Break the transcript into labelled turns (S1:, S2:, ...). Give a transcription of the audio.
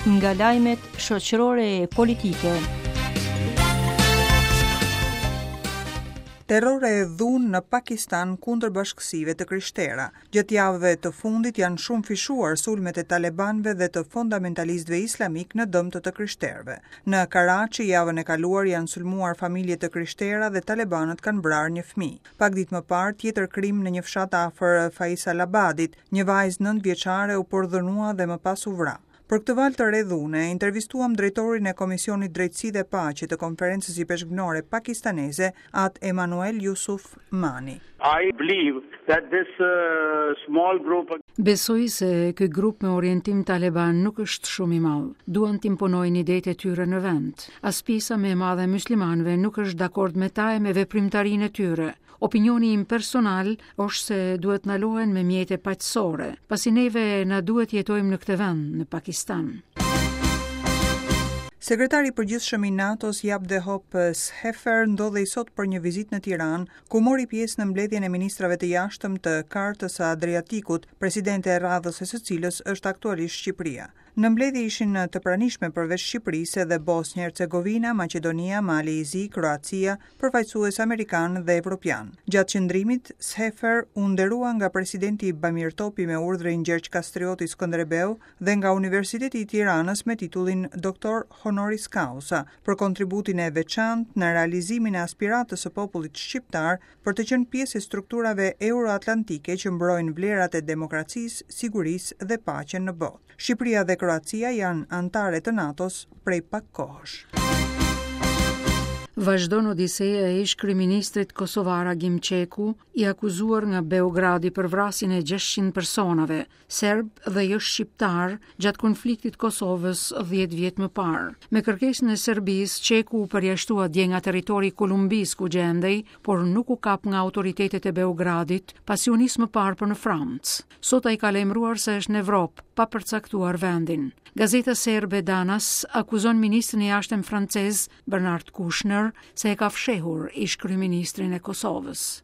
S1: Nga lajmet shoqërore e politike.
S2: Terror e dhunë në Pakistan kundër bashkësive të krishtera. Gjatë javëve të fundit janë shumëfishuar sulmet e talebanëve dhe të fondamentalistëve islamikë në dëm të të krishterëve. Në Karaçi javën e kaluar janë sulmuar familje të krishtera dhe talebanët kanë vrarë një fëmijë. Pak ditë më parë, tjetër krim në një fshat afër Faisalabadit, një vajzë nëntëvjeçare u përdhunua dhe më pas u vra. Për këtë valë të re dhune, intervistuam drejtorin e Komisionit Drejtësi dhe Paqe të Konferencës Ipeshkvnore Pakistaneze, At Emanuel Jusuf Mani.
S3: I believe that this small group.
S4: Besoj se ky grup me orientim taleban nuk është shumë i madh. Duan të imponojnë idetë e tyre në vend. As pjesa më e madhe e myslimanëve nuk është dakord me ta e me veprimtarinë e tyre. Opinioni im personal është se duhet ndalohen me mjete paqësore, pasi neve na duhet të jetojmë në këtë vend, në Pakistan.
S2: Sekretari i Përgjithshëm i NATO-s Jaap de Hoop Scheffer ndodhej sot për një vizitë në Tiranë, ku mori pjesë në mbledhjen e ministrave të jashtëm të Kartës së Adriatikut, presidente e radhës e së cilës është aktualisht Shqipëria. Në mbledhje ishin të pranishme përveç Shqipërisë edhe Bosnjë Hercegovina, Maqedonia, Mali i Zi, Kroacia, përfaqësues amerikanë dhe evropianë. Gjatë qëndrimit, Scheffer u nderua nga presidenti Bamir Topi me urdhrin Gjergj Kastrioti Skënderbeu dhe nga Universiteti i Tiranës me titullin Doktor Honoris Causa për kontributin e veçantë në realizimin e aspiratës së popullit shqiptar për të qenë pjesë e strukturave euroatlantike që mbrojnë vlerat e demokracisë, sigurisë dhe paqen në botë. Shqipëria dhe Kroacia janë anëtare të NATO-s prej pak
S4: kohësh. Vazhdon odiseja e ish-kryeministrit kosovar Agim Çeku, i akuzuar nga Beogradi për vrasjen e 600 personave, serbë dhe jo shqiptarë, gjatë konfliktit të Kosovës 10 vjet më parë. Me kërkesën e Serbisë, Çeku u përjashtua dje nga territori i Kolumbisë ku gjendej, por nuk u kap nga autoritetet e Beogradit, pasi u nis më parë për në Francë. Sot ai ka lajmëruar se është në Evropë, pa përcaktuar vendin. Gazeta serbe Danas akuzon ministrin e jashtëm francez Bernard Kouchner se e ka fshehur ish-kryeministrin e Kosovës.